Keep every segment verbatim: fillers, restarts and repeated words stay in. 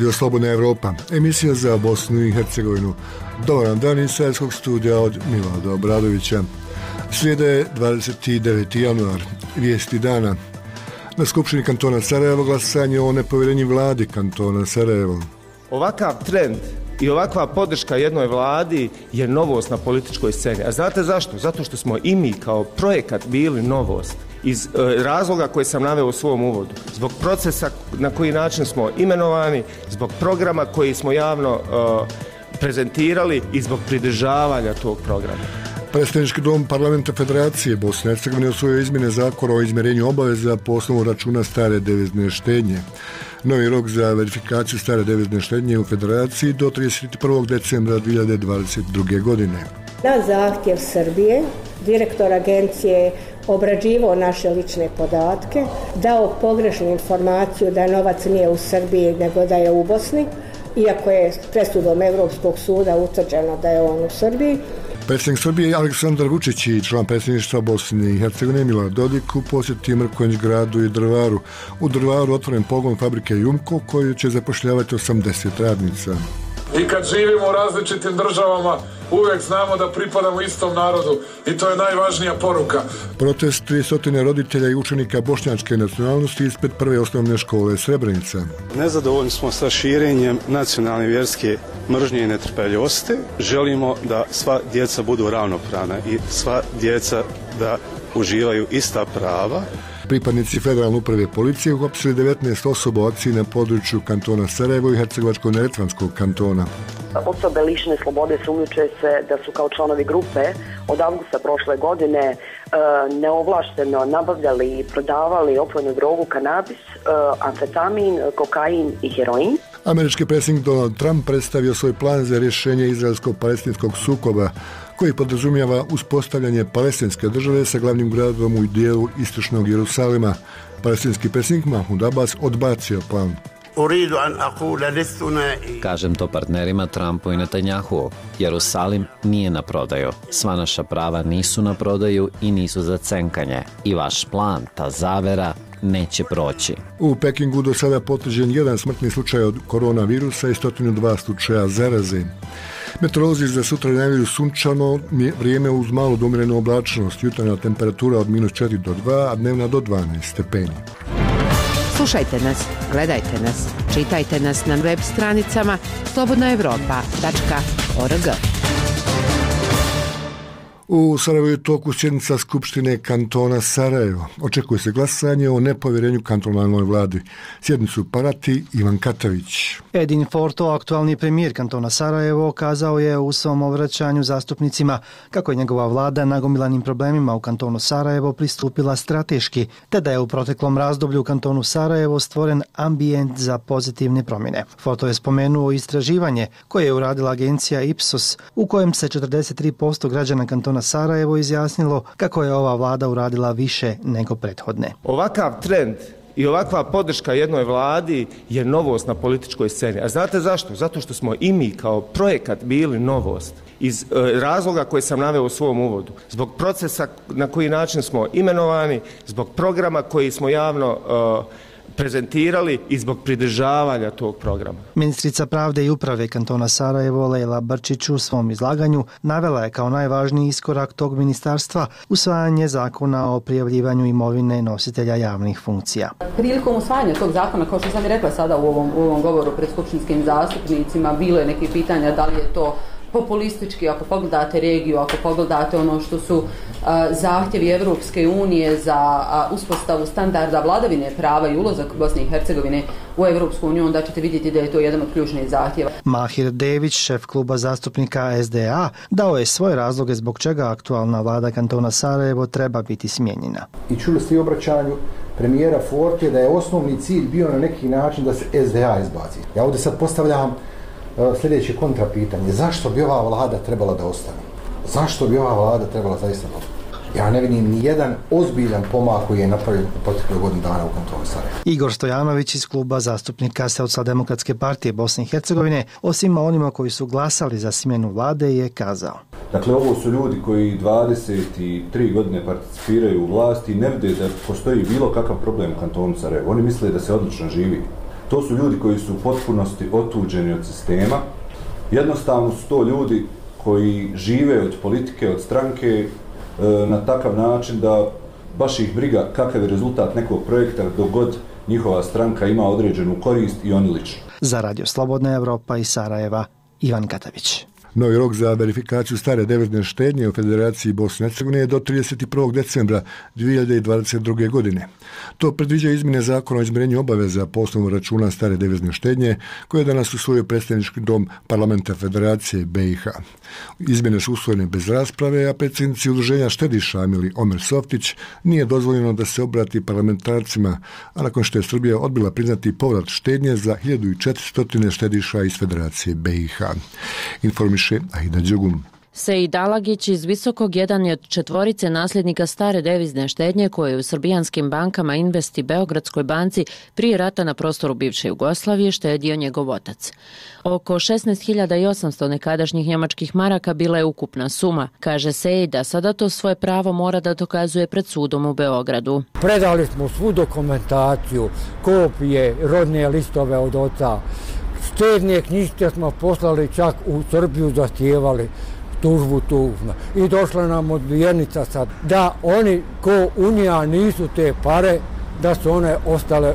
Radio Slobodna Evropa, emisija za Bosnu i Hercegovinu. Dobar dan iz Sarajevskog studija od Milada Obradovića. Srijeda je dvadeset deveti januar, vijesti dana. Na Skupštini kantona Sarajevo glasanje o nepovjerenju vladi kantona Sarajevo. Ovakav trend i ovakva podrška jednoj vladi je novost na političkoj sceni. A znate zašto? Zato što smo i mi kao projekat bili novost. Iz e, razloga koje sam naveo u svom uvodu. Zbog procesa na koji način smo imenovani, zbog programa koji smo javno e, prezentirali i zbog pridržavanja tog programa. Predstavnički dom Parlamenta Federacije Bosne i Hercegovine usvojio izmjene zakona o izmjerenju obaveza po osnovu računa stare devizne štednje. Novi rok za verifikaciju stare devizne štednje u Federaciji do trideset prvog decembra dvije hiljade dvadeset druge. godine. Na zahtjev Srbije, direktor agencije obrađivao naše lične podatke, dao pogrešnu informaciju da novac nije u Srbiji nego da je u Bosni, iako je presudom Europskog suda utvrđeno da je on u Srbiji. Predsjednik Srbije Aleksandar Vučić i član predsjedništva Bosne i Hercegovine Milorad Dodik u posjeti Mrkonjić gradu i Drvaru. U Drvaru otvoren pogon fabrike Jumko koji će zapošljavati osamdeset radnica. I kad živimo u različitim državama, uvijek znamo da pripadamo istom narodu i to je najvažnija poruka. Protest tristo roditelja i učenika bošnjačke nacionalnosti ispred prve osnovne škole Srebrenica. Nezadovoljni smo sa širenjem nacionalne vjerske mržnje i netrpeljivosti. Želimo da sva djeca budu ravnopravna i sva djeca da uživaju ista prava. Pripadnici federalne uprave policije uhapsili devetnaest osoba u akciji na području kantona Sarajevo i Hercegovačko-neretvanskog kantona. Osobe lišene slobode sumnjiče se da su kao članovi grupe od avgusta prošle godine e, neovlašteno nabavljali i prodavali opojnu drogu, kanabis, e, amfetamin, kokain i heroin. Američki predsjednik Donald Trump predstavio svoj plan za rješenje izraelsko-palestinskog sukoba koji podrazumijeva uspostavljanje palestinske države sa glavnim gradom u dijelu istočnog Jerusalima. Palestinski predsjednik Mahmud Abbas odbacio plan. Kažem to partnerima Trumpu i Netanjahu. Jerusalim nije na prodaju. Sva naša prava nisu na prodaju i nisu za cenkanje. I vaš plan, ta zavera, neće proći. U Pekingu do sada potvrđen jedan smrtni slučaj od koronavirusa i sto dva slučaja zaraze. Meteorolozi za sutra najavljuju sunčano vrijeme uz malu do umjerenu oblačnost, jutarnja temperatura od minus četiri do dva, a dnevna do dvanaest stepeni. Slušajte nas, gledajte nas, čitajte nas na web stranicama slobodna evropa tačka org. U Sarajevu je toku sjednica Skupštine kantona Sarajevo. Očekuje se glasanje o nepovjerenju kantonalnoj vladi. Sjednicu prati Ivan Katavić. Edin Forto, aktualni premijer kantona Sarajevo, kazao je u svom obraćanju zastupnicima kako je njegova vlada nagomilanim problemima u kantonu Sarajevo pristupila strateški, te da je u proteklom razdoblju u kantonu Sarajevo stvoren ambijent za pozitivne promjene. Forto je spomenuo istraživanje koje je uradila agencija Ipsos, u kojem se četrdeset tri posto građana kantona Sarajevo izjasnilo kako je ova vlada uradila više nego prethodne. Ovakav trend i ovakva podrška jednoj vladi je novost na političkoj sceni. A znate zašto? Zato što smo i mi kao projekat bili novost. Iz e, razloga koje sam naveo u svom uvodu. Zbog procesa na koji način smo imenovani, zbog programa koji smo javno e, prezentirali i zbog pridržavanja tog programa. Ministrica pravde i uprave kantona Sarajevo Lejla Brčić u svom izlaganju navela je kao najvažniji iskorak tog ministarstva usvajanje zakona o prijavljivanju imovine nositelja javnih funkcija. Prilikom usvajanja tog zakona, kao što sam i rekla sada u ovom, u ovom govoru pred skupštinskim zastupnicima, bilo je neke pitanja da li je to populistički, ako pogledate regiju, ako pogledate ono što su a, zahtjevi Evropske unije za a, uspostavu standarda vladavine prava i ulazak Bosne i Hercegovine u Evropsku uniju, onda ćete vidjeti da je to jedan od ključnih zahtjeva. Mahir Dević, šef kluba zastupnika S D A, dao je svoje razloge zbog čega aktualna vlada kantona Sarajevo treba biti smijenjena. I čuli ste i obraćanju premijera Forte da je osnovni cilj bio na neki način da se S D A izbaci. Ja ovdje sad postavljam sljedeće kontrapitanje. Zašto bi ova vlada trebala da ostane? Zašto bi ova vlada trebala zaista da ostane? Ja ne vidim ni jedan ozbiljan pomak koji je napravljen u proteklih godinu dana u kantonu Sarajevo. Igor Stojanović iz kluba zastupnika Socijaldemokratske partije Bosne i Hercegovine, osim onima koji su glasali za smjenu vlade, je kazao. Dakle, ovo su ljudi koji dvadeset tri godine participiraju u vlasti i ne vide da postoji bilo kakav problem u kantonu Sarajevo. Oni misle da se odlično živi. To su ljudi koji su u potpunosti otuđeni od sistema. Jednostavno su to ljudi koji žive od politike, od stranke na takav način da baš ih briga kakav je rezultat nekog projekta dok god njihova stranka ima određenu korist i oni lično. Za Radio Slobodna Evropa iz Sarajeva, Ivan Katavić. Novi rok za verifikaciju stare devizne štednje u Federaciji Bosne i Hercegovine je do trideset prvog decembra dvije hiljade dvadeset druge. godine. To predviđa izmjene zakona o izmirenju obaveza po osnovu računa stare devizne štednje koje je danas usvojio predstavnički dom Parlamenta Federacije B i H. Izmjene su usvojene bez rasprave, a predsjednici udruženja štediša Amili Omer Softić nije dozvoljeno da se obrati parlamentarcima, a nakon što je Srbija odbila priznati povrat štednje za hiljadu četiristo štediša iz Federacije B i H. Informiš Aida Đugum. Sejid Alagić iz Visokog jedan je od četvorice nasljednika stare devizne štednje koje je u srbijanskim bankama Invest i Beogradskoj banci prije rata na prostoru bivše Jugoslavije štedio njegov otac. Oko šesnaest hiljada osamsto nekadašnjih njemačkih maraka bila je ukupna suma. Kaže Sejid da sada to svoje pravo mora da dokazuje pred sudom u Beogradu. Predali smo svu dokumentaciju, kopije, rodne listove od oca. Štedne knjižice smo poslali čak u Srbiju, zahtijevali tužbu tužno. I došla nam odbijenica sad da oni ko unija nisu te pare, da su one ostale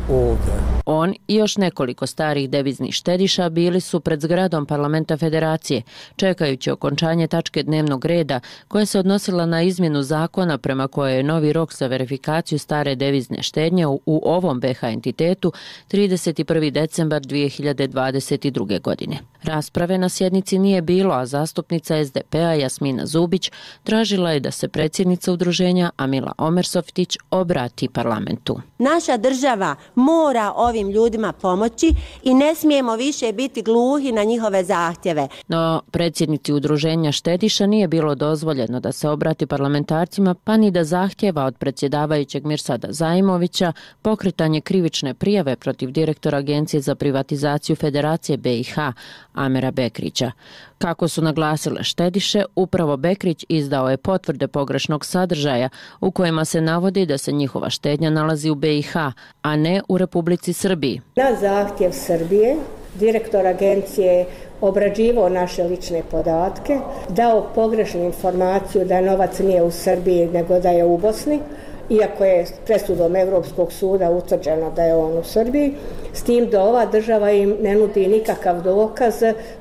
ovdje. On i još nekoliko starih deviznih štediša bili su pred zgradom Parlamenta Federacije, čekajući okončanje tačke dnevnog reda koja se odnosila na izmjenu zakona prema kojoj je novi rok za verifikaciju stare devizne štednje u, u ovom B H entitetu trideset prvi decembar dvije hiljade dvadeset druge. godine. Rasprave na sjednici nije bilo, a zastupnica S D P-a Jasmina Zubić tražila je da se predsjednica udruženja Amila Omersoftić obrati parlamentu. Naša država mora ovim ljudima pomoći i ne smijemo više biti gluhi na njihove zahtjeve. No, predsjednici udruženja štediša nije bilo dozvoljeno da se obrati parlamentarcima, pa ni da zahtjeva od predsjedavajućeg Mirsada Zaimovića pokretanje krivične prijave protiv direktora Agencije za privatizaciju Federacije B i H, Amera Bekrića. Kako su naglasile štediše, upravo Bekrić izdao je potvrde pogrešnog sadržaja u kojima se navodi da se njihova štednja nalazi u B i H, a ne u Republici Srbiji. Na zahtjev Srbije, direktor agencije obrađivao naše lične podatke, dao pogrešnu informaciju da novac nije u Srbiji nego da je u Bosni, iako je presudom Europskog suda utvrđeno da je on u Srbiji, s tim da ova država im ne nudi nikakav dokaz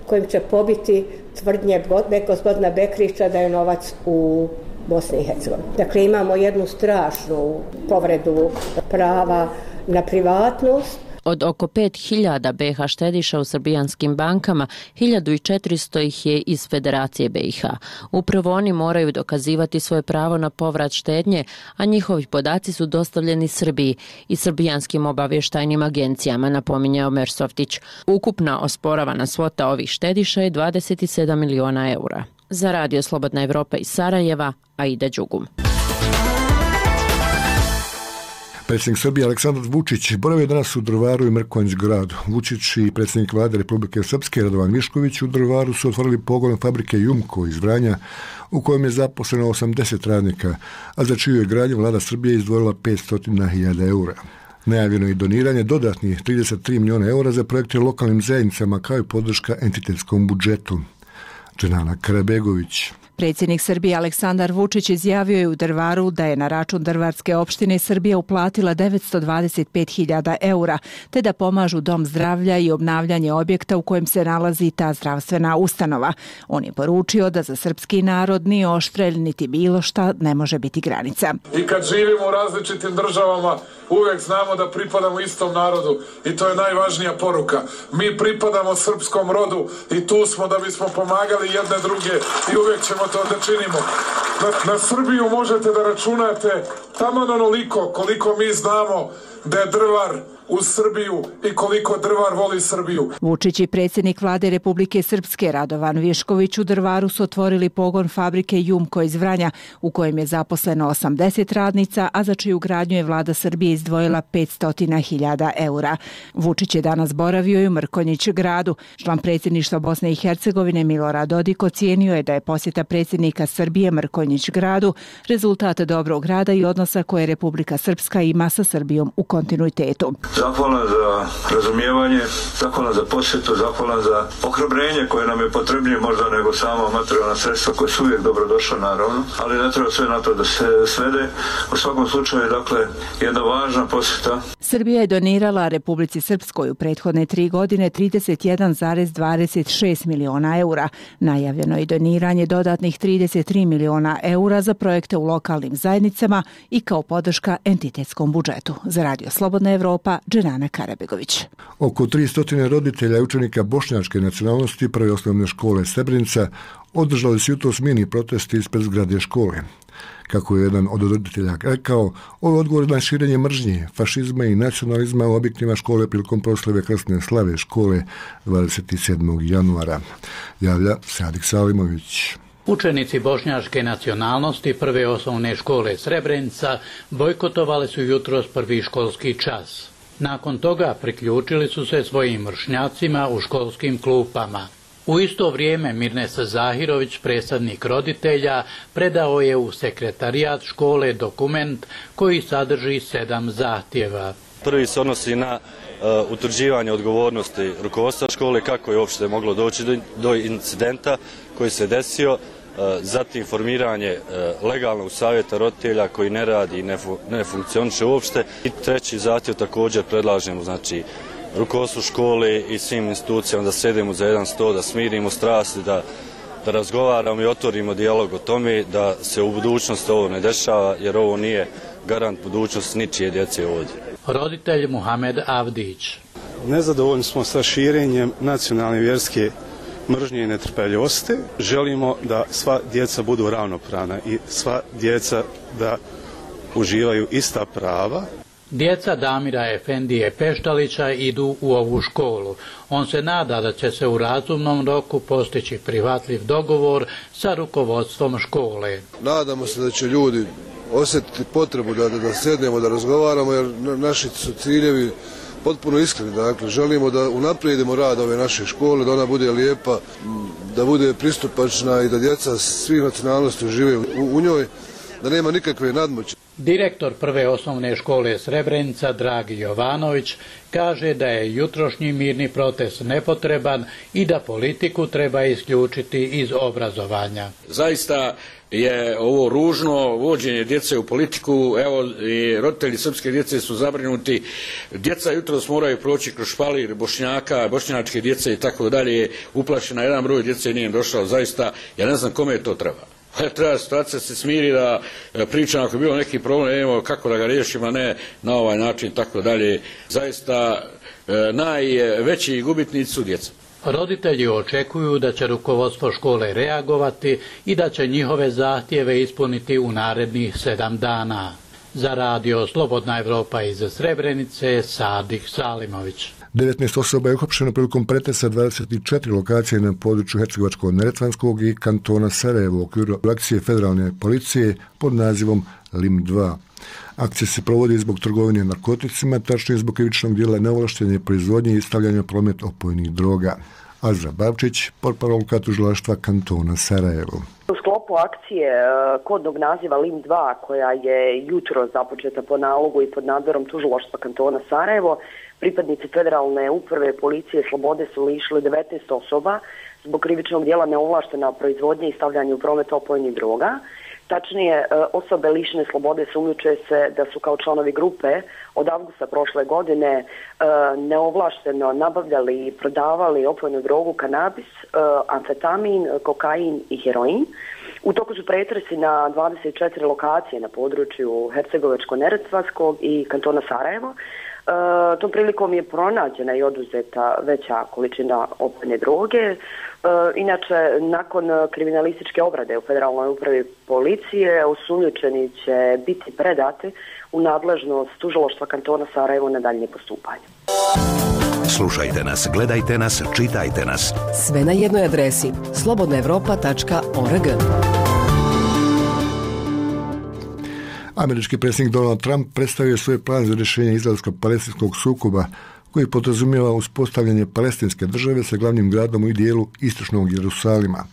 kojim će pobiti tvrdnje gospodina Bekrića da je novac u Bosni i Hercegovini. Dakle, imamo jednu strašnu povredu prava na privatnost. Od oko pet hiljada B H štediša u srbijanskim bankama, hiljadu četiristo ih je iz Federacije B i H. Upravo oni moraju dokazivati svoje pravo na povrat štednje, a njihovi podaci su dostavljeni Srbiji i srbijanskim obavještajnim agencijama, napominje Omer Softić. Ukupna osporavana svota ovih štediša je dvadeset sedam miliona eura. Za Radio Slobodna Evropa iz Sarajeva, Aida Đugum. Predsjednik Srbije Aleksandar Vučić boravio danas u Drvaru i Mrkonjić gradu. Vučić i predsjednik vlade Republike Srpske Radovan Višković u Drvaru su otvorili pogon fabrike Jumko iz Vranja u kojem je zaposleno osamdeset radnika, a za čiju je gradnju vlada Srbije izdvojila petsto hiljada eura. Najavljeno je doniranje dodatnih trideset tri miliona eura za projekte lokalnim zajednicama kao i podrška entitetskom budžetu. Dženana Karabegović. Predsjednik Srbije Aleksandar Vučić izjavio je u Drvaru da je na račun Drvarske opštine Srbija uplatila devetsto dvadeset pet hiljada eura, te da pomažu dom zdravlja i obnavljanje objekta u kojem se nalazi ta zdravstvena ustanova. On je poručio da za srpski narod ni oštrelj niti bilo šta ne može biti granica. I kad živimo u različitim državama, uvijek znamo da pripadamo istom narodu i to je najvažnija poruka. Mi pripadamo srpskom rodu i tu smo da bismo pomagali jedne druge i uvijek ćemo to da činimo. Na, na Srbiju možete da računate taman onoliko koliko mi znamo da je Drvar uz Srbiju i koliko Drvar voli Srbiju. Vučić i predsjednik vlade Republike Srpske Radovan Višković u Drvaru su otvorili pogon fabrike Jumko iz Vranja u kojem je zaposleno osamdeset radnica, a za čiju gradnju je vlada Srbije izdvojila petsto hiljada eura. Vučić je danas boravio i u Mrkonjić gradu. Član predsjedništva Bosne i Hercegovine Milorad Dodik ocijenio je da je posjeta predsjednika Srbije Mrkonjić gradu rezultat dobrog rada i odnosa koje Republika Srpska ima sa Srbijom u kontinuitetu. zahvalan za razumijevanje, zahvalan za posjetu, zahvalan za ohrabrenje koje nam je potrebnije možda nego samo materijalna sredstva koje su uvijek dobrodošla naravno, ali ne treba sve na to da se svede. U svakom slučaju, dakle, jedna važna posjeta. Srbija je donirala Republici Srpskoj u prethodne tri godine trideset jedan zarez dvadeset šest miliona eura. Najavljeno je doniranje dodatnih trideset tri miliona eura za projekte u lokalnim zajednicama i kao podrška entitetskom budžetu. Za Radio Slobodna Evropa, Dženana Karabegović. Oko tristo roditelja i učenika bošnjačke nacionalnosti Prve osnovne škole Srebrenica održali su jutros mini protesti ispred zgrade škole. Kako je jedan od roditelja rekao, ovo je odgovor na širenje mržnje, fašizma i nacionalizma u objektima škole prilikom proslave krsne slave škole dvadeset sedmog januara. Javlja Sadik Salimović. Učenici bošnjačke nacionalnosti Prve osnovne škole Srebrenica bojkotovali su jutros prvi školski čas. Nakon toga priključili su se svojim vršnjacima u školskim klupama. U isto vrijeme Mirnesa Zahirović, predstavnik roditelja, predao je u sekretarijat škole dokument koji sadrži sedam zahtjeva. Prvi se odnosi na uh, utvrđivanje odgovornosti rukovodstva škole, kako je uopšte moglo doći do, do incidenta koji se desio, uh, zatim formiranje uh, legalnog savjeta roditelja koji ne radi i ne, fu, ne funkcioniše uopšte. I treći zahtjev također predlažemo, znači, rukovodstvu škole i svim institucijama da sedemo za jedan sto, da smirimo strasti, da, da razgovaramo i otvorimo dijalog o tome, da se u budućnosti ovo ne dešava, jer ovo nije garant budućnosti ničije djece ovdje. Roditelj Muhamed Avdić. Nezadovoljni smo sa širenjem nacionalne vjerske mržnje i netrpeljivosti. Želimo da sva djeca budu ravnopravna i sva djeca da uživaju ista prava. Djeca Damira Efendije Peštalića idu u ovu školu. On se nada da će se u razumnom roku postići prihvatljiv dogovor sa rukovodstvom škole. Nadamo se da će ljudi osjetiti potrebu da, da sednemo, da razgovaramo, jer naši su ciljevi potpuno iskreni. Dakle, želimo da unaprijedimo rad ove naše škole, da ona bude lijepa, da bude pristupačna i da djeca svih nacionalnosti žive u, u njoj, da nema nikakve nadmoći. Direktor Prve osnovne škole Srebrenica, Dragi Jovanović, kaže da je jutrošnji mirni protest nepotreban i da politiku treba isključiti iz obrazovanja. Zaista je ovo ružno vođenje djece u politiku. Evo, i roditelji srpske djece su zabrinuti. Djeca jutros moraju proći kroz špalir Bošnjaka, bošnjačke djece i tako dalje. Uplašena jedan broj djece nije došao. Zaista, ja ne znam kome to treba. Treba situacija se smiri, da pričam ako je bilo neki problem, evo kako da ga riješimo, a ne na ovaj način, tako dalje. Zaista najveći gubitnici su djeca. Roditelji očekuju da će rukovodstvo škole reagovati i da će njihove zahtjeve ispuniti u narednih sedam dana. Za Radio Slobodna Evropa iz Srebrenice, Sadik Salimović. devetnaest osoba je uhapšeno prilikom pretresa dvadeset četiri lokacije na području Hercegovačko-neretvanskog i kantona Sarajevo u okviru akcije federalne policije pod nazivom Lim dva. Akcija se provodi zbog trgovine narkoticima, tačnije zbog krivičnog djela neovlaštene proizvodnje i stavljanja promet opojnih droga. Azra Bavčić, portparolka tužilaštva kantona Sarajevo. U sklopu akcije kodnog naziva Lim dva, koja je jutro započeta po nalogu i pod nadzorom tužilaštva kantona Sarajevo, pripadnici federalne uprave policije slobode su lišili devetnaest osoba zbog krivičnog djela neovlaštena proizvodnje i stavljanja u promet opojnih droga. Tačnije, osobe lišene slobode sumnjiče se da su kao članovi grupe od avgusta prošle godine neovlašteno nabavljali i prodavali opojnu drogu kanabis, amfetamin, kokain i heroin. U toku su pretresi na dvadeset četiri lokacije na području Hercegovačko-neretvanskog i kantona Sarajevo. E, tom prilikom je pronađena i oduzeta veća količina opojne droge. E, inače, nakon kriminalističke obrade u Federalnoj upravi policije, osumnjičeni će biti predati u nadležnost tužilaštva kantona Sarajevo na daljnje postupanje. Slušajte nas, gledajte nas, čitajte nas. Sve na jednoj adresi slobodna evropa tačka org. Američki predsjednik Donald Trump predstavio svoj plan za rješenje izraelsko-palestinskog sukoba koji podrazumijeva uspostavljanje palestinske države sa glavnim gradom u dijelu istočnog Jerusalima.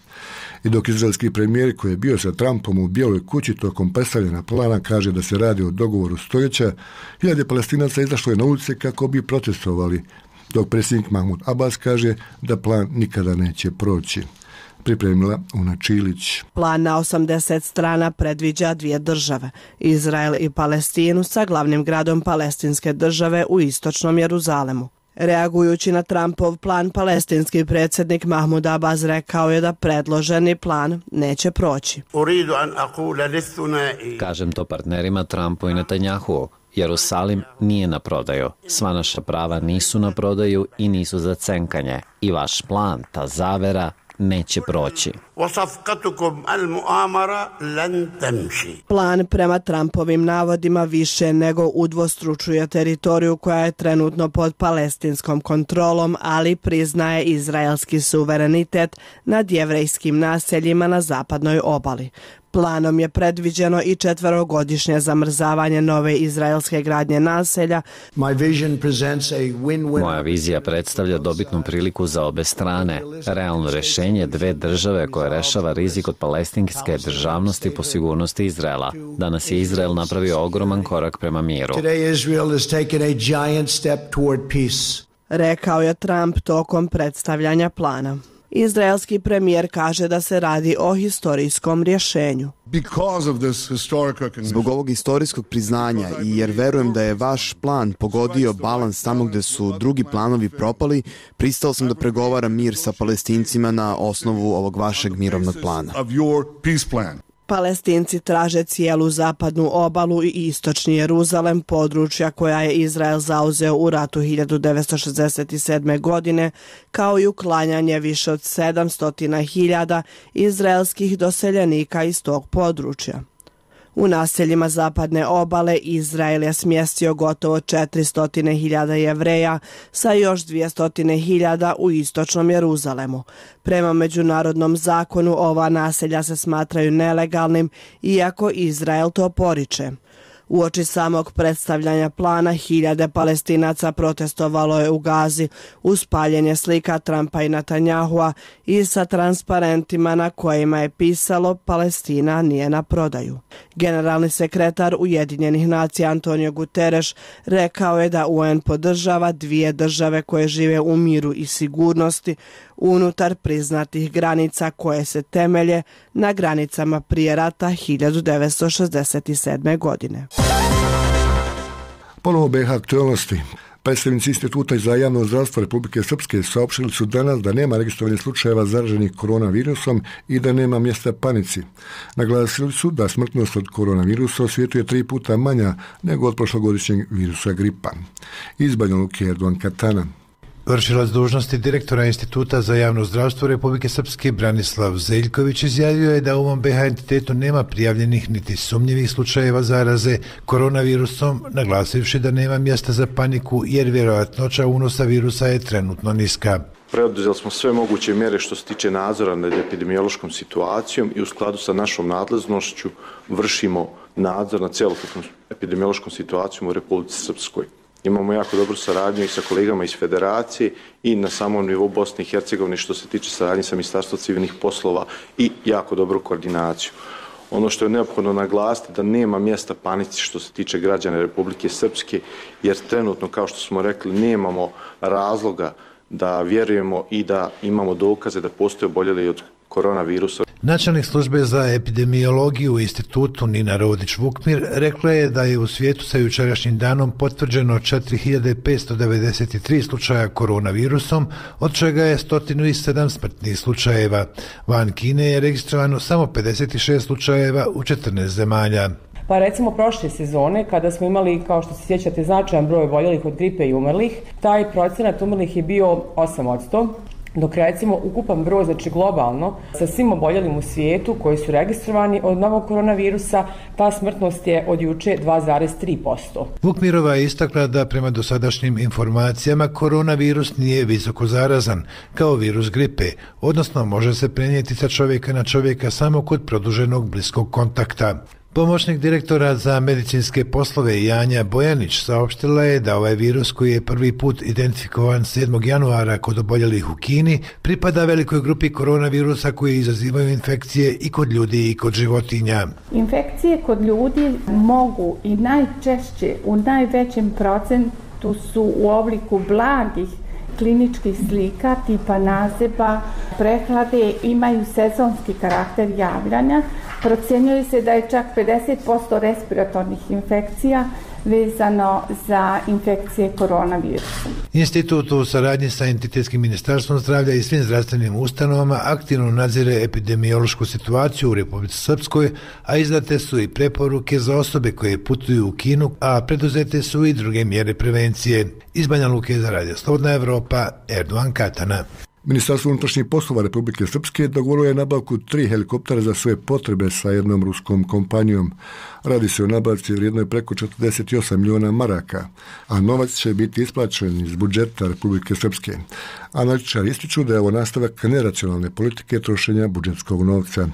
I dok izraelski premijer koji je bio sa Trumpom u Bijeloj kući tokom predstavljena plana kaže da se radi o dogovoru stoljeća, hiljade Palestinaca izašlo je na ulice kako bi protestovali, dok predsjednik Mahmud Abbas kaže da plan nikada neće proći. Pripremila Una Čilić. Plan na osamdeset strana predviđa dvije države, Izrael i Palestinu sa glavnim gradom palestinske države u istočnom Jeruzalemu. Reagujući na Trumpov plan, palestinski predsjednik Mahmud Abbas rekao je da predloženi plan neće proći. Kažem to partnerima Trumpu i Netanjahu. Jerusalim nije na prodaju. Sva naša prava nisu na prodaju i nisu za cenkanje. I vaš plan, ta zavera, neće proći. Plan prema Trumpovim navodima više nego udvostručuje teritoriju koja je trenutno pod palestinskom kontrolom, ali priznaje izraelski suverenitet nad jevrejskim naseljima na zapadnoj obali. Planom je predviđeno i četverogodišnje zamrzavanje nove izraelske gradnje naselja. Moja vizija predstavlja dobitnu priliku za obe strane. Realno rješenje dve države koje rešava rizik od palestinske državnosti po sigurnosti Izraela. Danas je Izrael napravio ogroman korak prema miru. Rekao je Trump tokom predstavljanja plana. Izraelski premijer kaže da se radi o historijskom rješenju. Zbog ovog historijskog priznanja i jer verujem da je vaš plan pogodio balans tamo gde su drugi planovi propali, pristao sam da pregovaram mir sa Palestincima na osnovu ovog vašeg mirovnog plana. Palestinci traže cijelu zapadnu obalu i istočni Jeruzalem, područja koja je Izrael zauzeo u ratu hiljadu devetsto šezdeset sedme. godine, kao i uklanjanje više od sedamsto hiljada izraelskih doseljenika iz tog područja. U naseljima zapadne obale Izrael je smjestio gotovo četiristo hiljada Jevreja sa još dvjesto hiljada u istočnom Jeruzalemu. Prema međunarodnom zakonu ova naselja se smatraju nelegalnim, iako Izrael to poriče. Uoči samog predstavljanja plana hiljade Palestinaca protestovalo je u Gazi uz paljenje slika Trumpa i Netanjahua i sa transparentima na kojima je pisalo Palestina nije na prodaju. Generalni sekretar Ujedinjenih nacija Antonio Guterres rekao je da U N podržava dvije države koje žive u miru i sigurnosti unutar priznatih granica koje se temelje na granicama prije rata hiljadu devetsto šezdeset sedme. godine. Ponovo B iH aktualnosti. Predstavnici Instituta za javno zdravstvo Republike Srpske saopštili su danas da nema registrovanih slučajeva zaraženih koronavirusom i da nema mjesta panici. Naglasili su da smrtnost od koronavirusa u svijetu je tri puta manja nego od prošlogodišnjeg virusa gripa. Iz Banja Luke Erdogan Katana. Vršilac dužnosti direktora Instituta za javno zdravstvo Republike Srpske Branislav Zeljković izjavio je da u ovom B iH entitetu nema prijavljenih niti sumnjivih slučajeva zaraze koronavirusom, naglasivši da nema mjesta za paniku jer vjerojatnoća unosa virusa je trenutno niska. Preduzeli smo sve moguće mjere što se tiče nadzora nad epidemiološkom situacijom i u skladu sa našom nadležnošću vršimo nadzor nad celokupnom epidemiološkom situacijom u Republici Srpskoj. Imamo jako dobru saradnju i sa kolegama iz Federacije i na samom nivou Bosne i Hercegovine što se tiče saradnje sa Ministarstvom civilnih poslova i jako dobru koordinaciju. Ono što je neophodno naglasiti da nema mjesta panici što se tiče građana Republike Srpske, jer trenutno, kao što smo rekli, nemamo razloga da vjerujemo i da imamo dokaze da postoje oboljeli od koronavirusa. Načelnik službe za epidemiologiju u institutu Nina Rodić-Vukmir rekla je da je u svijetu sa jučerašnjim danom potvrđeno četiri hiljade petsto devedeset tri slučaja koronavirusom, od čega je sto sedam smrtnih slučajeva. Van Kine je registrovano samo pedeset šest slučajeva u četrnaest zemalja. Pa recimo prošle sezone, kada smo imali, kao što se sjećate, značajan broj oboljelih od gripe i umrlih, taj procenat umrlih je bio osam posto. Dok recimo ukupan broj, znači globalno, sa svim oboljelim u svijetu koji su registrovani od novog koronavirusa, ta smrtnost je od juče dva zarez tri posto. Vukmirova je istakla da prema dosadašnjim informacijama koronavirus nije visoko zarazan, kao virus gripe, odnosno može se prenijeti sa čovjeka na čovjeka samo kod produženog bliskog kontakta. Pomoćnik direktora za medicinske poslove Janja Bojanić saopštila je da ovaj virus koji je prvi put identifikovan sedmog januara kod oboljelih u Kini pripada velikoj grupi koronavirusa koji izazivaju infekcije i kod ljudi i kod životinja. Infekcije kod ljudi mogu i najčešće u najvećem procentu su u obliku blagih kliničkih slika tipa nazeba, prehlade, imaju sezonski karakter javljanja. Procjenjuje se da je čak pedeset posto respiratornih infekcija vezano za infekcije koronavirusom. Institut u saradnji sa Entitetskim ministarstvom zdravlja i svim zdravstvenim ustanovama aktivno nadzire epidemiološku situaciju u Republici Srpskoj, a izdate su i preporuke za osobe koje putuju u Kinu, a preduzete su i druge mjere prevencije. Iz Banja Luke za Radio Slobodna Evropa, Erdogan Katana. Ministarstvo unutrašnjih poslova Republike Srpske dogovorilo je nabavku tri helikoptera za sve potrebe sa jednom ruskom kompanijom. Radi se o nabavci vrijednoj preko četrdeset osam miliona maraka, a novac će biti isplaćen iz budžeta Republike Srpske. Analitičari ističu da je ovo nastavak neracionalne politike trošenja budžetskog novca.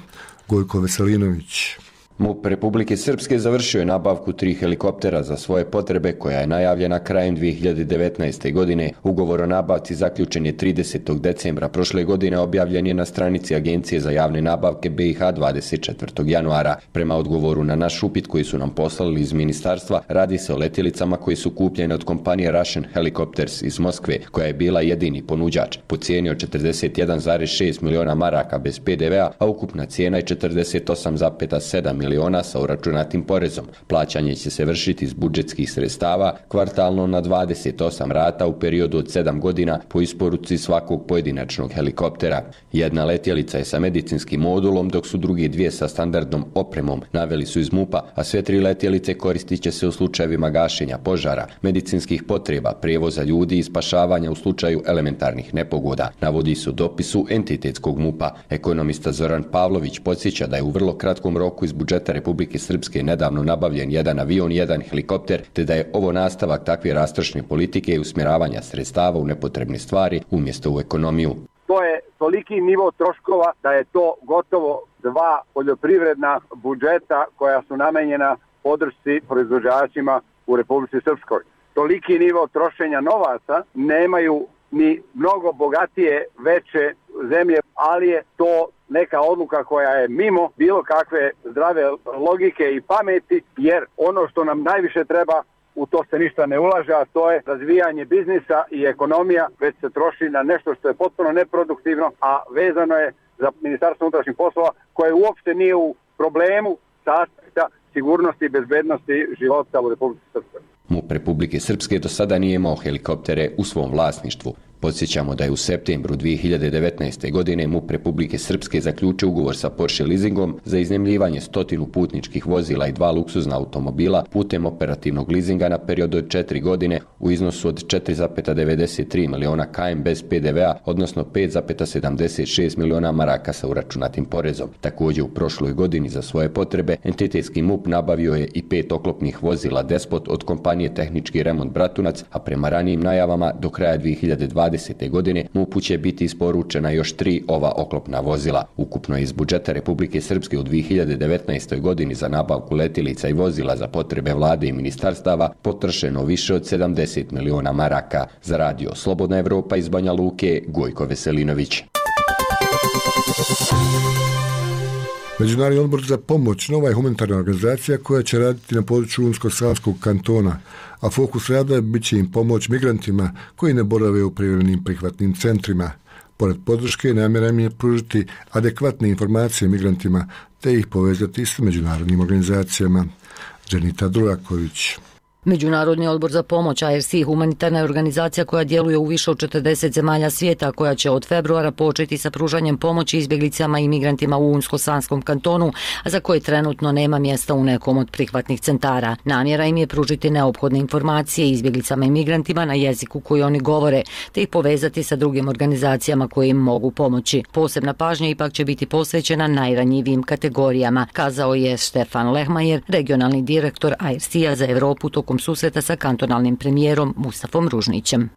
Gojko Veselinović. MUP Republike Srpske završio je nabavku tri helikoptera za svoje potrebe koja je najavljena krajem dvije hiljade devetnaeste. godine. Ugovor o nabavci zaključen je tridesetog decembra prošle godine, objavljen je na stranici Agencije za javne nabavke B i H dvadeset četvrtog januara. Prema odgovoru na naš upit koji su nam poslali iz ministarstva, radi se o letjelicama koji su kupljene od kompanije Russian Helicopters iz Moskve, koja je bila jedini ponuđač. Po cijeni od četrdeset jedan zarez šest miliona maraka bez P D V-a, a ukupna cijena je četrdeset osam zarez sedam miliona sa uračunatim porezom. Plaćanje će se vršiti iz budžetskih sredstava kvartalno na dvadeset osam rata u periodu od sedam godina po isporuci svakog pojedinačnog helikoptera. Jedna letjelica je sa medicinskim modulom, dok su drugi dvije sa standardnom opremom, naveli su iz MUP-a, a sve tri letjelice koristit će se u slučajevima gašenja požara, medicinskih potreba, prijevoza ljudi i spašavanja u slučaju elementarnih nepogoda, navodi se u dopisu entitetskog MUP-a. Ekonomista Zoran Pavlović podsjeća da je u vrlo kratkom roku iz budžeta Republike Srpske nedavno nabavljen jedan avion i jedan helikopter, te da je ovo nastavak takve rastrošne politike i usmjeravanja sredstava u nepotrebne stvari umjesto u ekonomiju. To je toliki nivo troškova da je to gotovo dva poljoprivredna budžeta koja su namenjena podršci proizvođačima u Republici Srpskoj. Toliki nivo trošenja novaca nemaju ni mnogo bogatije veće zemlje, ali je to neka odluka koja je mimo bilo kakve zdrave logike i pameti, jer ono što nam najviše treba, u to se ništa ne ulaže, a to je razvijanje biznisa i ekonomija, već se troši na nešto što je potpuno neproduktivno, a vezano je za Ministarstvo unutrašnjih poslova koje uopšte nije u problemu sa aspekta sigurnosti i bezbednosti života u Republici Srpskoj. MUP Republike Srpske do sada nije imao helikoptere u svom vlasništvu. Podsjećamo da je u septembru dvije hiljade devetnaeste. godine MUP Republike Srpske zaključio ugovor sa Porsche leasingom za iznajmljivanje stotinu putničkih vozila i dva luksuzna automobila putem operativnog leasinga na period od četiri godine u iznosu od četiri zarez devedeset tri miliona K M bez P D V-a, odnosno pet zarez sedamdeset šest miliona maraka sa uračunatim porezom. Također u prošloj godini za svoje potrebe entitetski MUP nabavio je i pet oklopnih vozila Despot od kompanije Tehnički remont Bratunac, a prema ranijim najavama do kraja dvije hiljade dvadesete. godine MUP-u će biti isporučena još tri ova oklopna vozila. Ukupno je iz budžeta Republike Srpske u dvije hiljade devetnaestoj. godini za nabavku letjelica i vozila za potrebe vlade i ministarstava potrošeno više od sedamdeset miliona maraka. Za Radio Slobodna Evropa iz Banja Luke, Gojko Veselinović. Međunarodni odbor za pomoć nova je humanitarna organizacija koja će raditi na području Unsko-Sanskog kantona, a fokus rada bit će im pomoć migrantima koji ne borave u privremenim prihvatnim centrima. Pored podrške, namjera im je pružiti adekvatne informacije migrantima te ih povezati s međunarodnim organizacijama. Dženita Duraković. Međunarodni odbor za pomoć A R C humanitarna je organizacija koja djeluje u više od četrdeset zemalja svijeta, koja će od februara početi sa pružanjem pomoći izbjeglicama i migrantima u Unsko-Sanskom kantonu, a za koje trenutno nema mjesta u nekom od prihvatnih centara. Namjera im je pružiti neophodne informacije izbjeglicama i migrantima na jeziku koji oni govore, te ih povezati sa drugim organizacijama koje im mogu pomoći. Posebna pažnja ipak će biti posvećena najranjivijim kategorijama, kazao je Stefan Lehmajer, regionalni direktor A R C-a za Evropu tokom prilikom susreta sa kantonalnim premijerom Mustafom Ružnićem.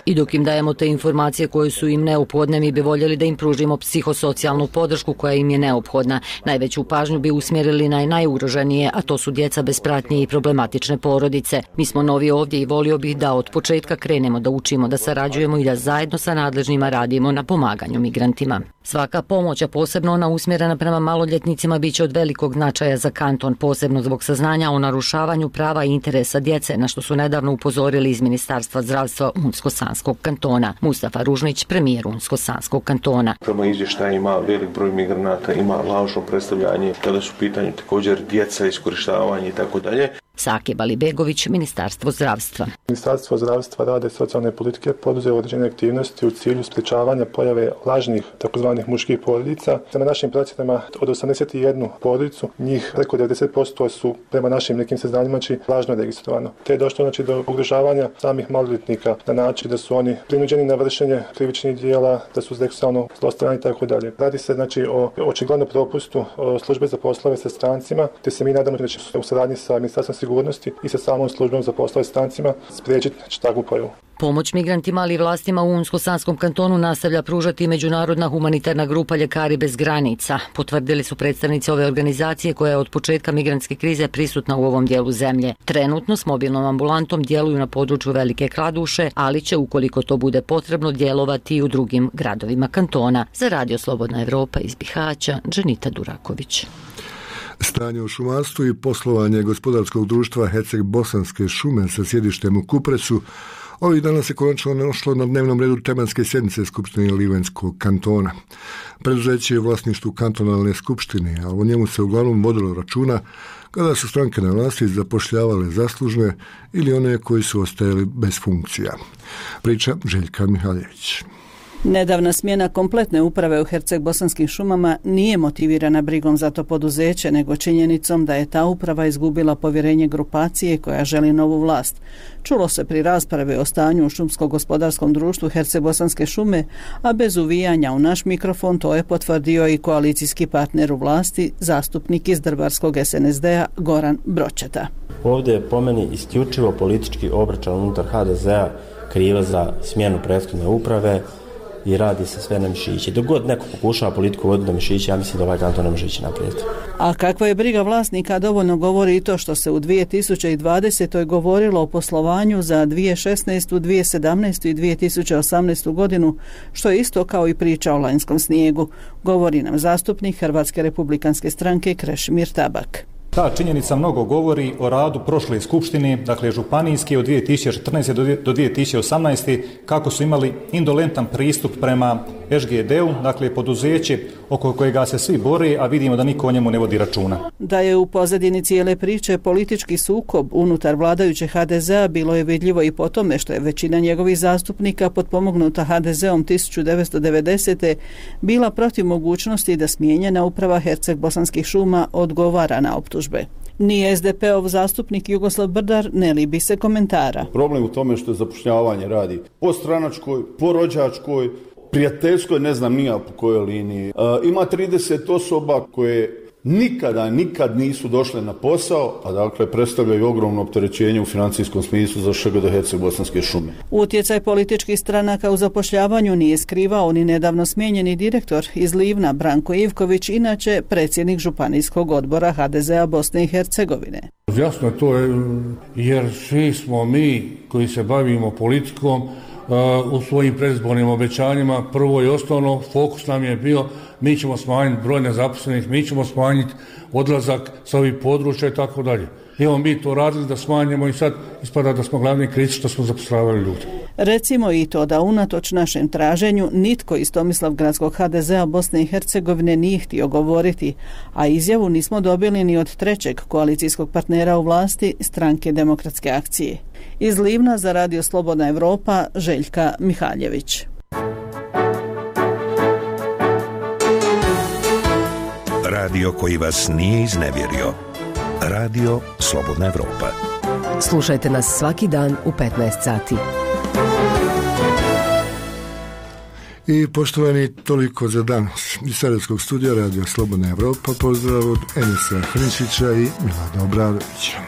I dok im dajemo te informacije koje su im neophodne, mi bi voljeli da im pružimo psihosocijalnu podršku koja im je neophodna. Najveću pažnju bi usmjerili na najugroženije, a to su djeca bez pratnje i problematične porodice. Mi smo novi ovdje i volio bih da od početka krenemo da učimo, da sarađujemo i da zajedno sa nadležnima radimo na pomaganju migrantima. Svaka pomoć, a posebno ona usmjerena prema maloljetnicima, bit će od velikog značaja za kanton, posebno zbog saznanja o narušavanju prava i interesa djece, na što su nedavno upozorili iz Ministarstva zdravstva Unsko-Sanskog kantona. Mustafa Ružnić, premijer Unsko-Sanskog kantona. Prema izvještajima velik broj migranata ima lažno predstavljanje kada su u pitanju također djeca, iskorištavanje i tako dalje. Sakib Alibegović, Ministarstvo zdravstva. Ministarstvo zdravstva, rada i socijalne politike poduzeo određene aktivnosti u cilju sprečavanja pojave lažnih takozvanih muških porodica. Prema našim procjenama od osamdeset jednu porodicu, njih preko devedeset posto su prema našim nekim saznanjima lažno registrovano. Te je došlo znači do ugrožavanja samih maloljetnika na način da su oni prinuđeni na vršenje krivičnih djela, da su seksualno zlostavljani i tako dalje. Radi se znači o očiglednom propustu službe za poslove sa strancima, te se mi nadamo da će u saradnji sa Ministarstvom sigurnosti i sa samom službom za poslove s strancima spriječiti takvu pojavu. Pomoć migrantima, ali i vlastima u Unsko-Sanskom kantonu nastavlja pružati međunarodna humanitarna grupa Ljekari bez granica. Potvrdili su predstavnici ove organizacije koja je od početka migrantske krize prisutna u ovom dijelu zemlje. Trenutno s mobilnom ambulantom djeluju na području Velike Kladuše, ali će, ukoliko to bude potrebno, djelovati i u drugim gradovima kantona. Za Radio Slobodna Evropa iz Bihaća, Dženita Duraković. Stanje u šumarstvu i poslovanje gospodarskog društva Herceg-Bosanske šume sa sjedištem u Kupresu ovih dana se konačno našlo na dnevnom redu tematske sjednice Skupštine Livenskog kantona. Preduzeće je u vlasništvu kantonalne skupštine, a o njemu se uglavnom vodilo računa kada su stranke na vlasti zapošljavale zaslužne ili one koji su ostajali bez funkcija. Priča Željka Mihaljević. Nedavna smjena kompletne uprave u Herceg-Bosanskim šumama nije motivirana brigom za to poduzeće, nego činjenicom da je ta uprava izgubila povjerenje grupacije koja želi novu vlast. Čulo se pri raspravi o stanju u šumsko-gospodarskom društvu Herceg-Bosanske šume, a bez uvijanja u naš mikrofon to je potvrdio i koalicijski partner u vlasti, zastupnik iz Drvarskog S N S D-a Goran Bročeta. Ovdje je po meni isključivo politički obračun unutar H D Z-a kriva za smjenu prethodne uprave i radi se sve na mišići. Dok god neko pokušava politiku voditi na mišići, ja mislim da ovaj kanton ne može ići naprijed. A kakva je briga vlasnika dovoljno govori i to što se u dvije tisuće dvadesetoj govorilo o poslovanju za dvije tisuće šesnaestu, dvije tisuće sedamnaestu i dvije tisuće osamnaestu godinu, što je isto kao i priča o lanjskom snijegu, govori nam zastupnik Hrvatske republikanske stranke Krešimir Tabak. Ta činjenica mnogo govori o radu prošle skupštine, dakle županijske od dvije tisuće četrnaeste do dvije tisuće osamnaeste kako su imali indolentan pristup prema S G D-u, dakle poduzeće oko kojega se svi bore, a vidimo da niko o njemu ne vodi računa. Da je u pozadini cijele priče politički sukob unutar vladajuće H D Z-a bilo je vidljivo i po tome što je većina njegovih zastupnika potpomognuta H D Z-om tisuću devetsto devedesete bila protiv mogućnosti da smijenjena uprava Herceg-Bosanskih šuma odgovara na optužbe. Ni S D P-ov zastupnik Jugoslav Brdar ne libi se komentara. Problem u tome što je zapošljavanje radi po stranačkoj, po rođačkoj, prijateljskoj, ne znam nija po kojoj liniji. E, ima trideset osoba koje nikada, nikad nisu došle na posao, a dakle predstavljaju ogromno opterećenje u financijskom smislu za Š G D Herceg-Bosanske šume. Utjecaj političkih stranaka u zapošljavanju nije skrivao ni nedavno smijenjeni direktor iz Livna Branko Ivković, inače predsjednik županijskog odbora H D Z-a Bosne i Hercegovine. Jasno to je, jer svi smo mi koji se bavimo politikom u svojim predizbornim obećanjima, prvo i osnovno fokus nam je bio mi ćemo smanjiti broj nezaposlenih, mi ćemo smanjiti odlazak sa ovih područja i tako dalje. Evo mi to radili da smanjimo i sad ispada da smo glavni krivci što smo zapošljavali ljudi. Recimo i to da unatoč našem traženju nitko iz Tomislavgradskog H D Z-a Bosne i Hercegovine nije htio govoriti, a izjavu nismo dobili ni od trećeg koalicijskog partnera u vlasti, Stranke demokratske akcije. Iz Livna za Radio Slobodna Evropa, Željka Mihaljević. Radio koji vas nije iznevjerio. Radio Slobodna Evropa. Slušajte nas svaki dan u petnaest sati. I poštovani, toliko za danas. Iz Sarajevskog studija Radio Slobodna Evropa pozdrav od Enesa Hrničića i Milada Obradovića.